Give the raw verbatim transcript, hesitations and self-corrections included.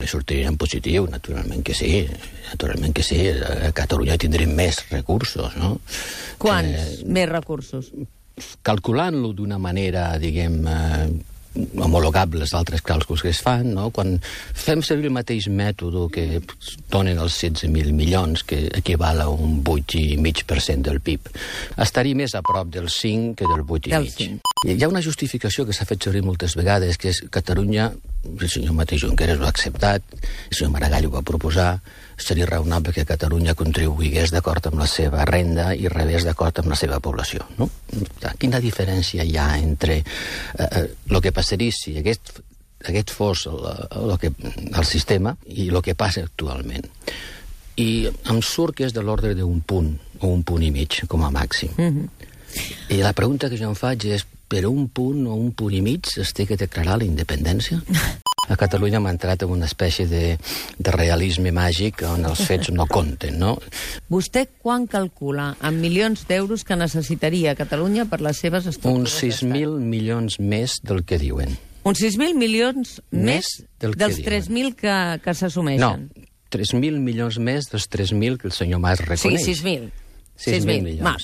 també sortirien en positiu, naturalment que sí. Naturalment que sí. A Catalunya tindrem més recursos, no? Quants Eh, més recursos? calculant-lo d'una manera, diguem, eh, homologable als altres càlculs que es fan, no? Quan fem servir el mateix mètode que donen els setze mil milions, que equival a un vuit coma cinc per cent del P I B, estaria més a prop del cinc que del vuit coma cinc. Hi ha una justificació que s'ha fet servir moltes vegades, que és Catalunya, el senyor mateix Junqueras ho ha acceptat, el senyor Maragall ho va proposar, seria raonable que Catalunya contribuís d'acord amb la seva renda i rebés d'acord amb la seva població, no? Quina diferència hi ha entre eh, el que passaria si aquest, aquest fos el, el, que, el sistema i el que passa actualment? I em surt que és de l'ordre d'un punt o un punt i mig, com a màxim. Mm-hmm. I la pregunta que jo em faig és, per un punt o un punt i mig es té que declarar la independència? A Catalunya hem entrat en una espècie de, de realisme màgic on els fets no compten, no? Vostè quan calcula en milions d'euros que necessitaria Catalunya per les seves estructures? Uns sis mil milions més del que diuen. Uns sis mil milions més, Més del que dels diuen. tres mil que, que No, s'assumeixen? tres mil milions més dels tres mil que el senyor Mas Sí, reconeix. sis mil. sis mil milions. Ma,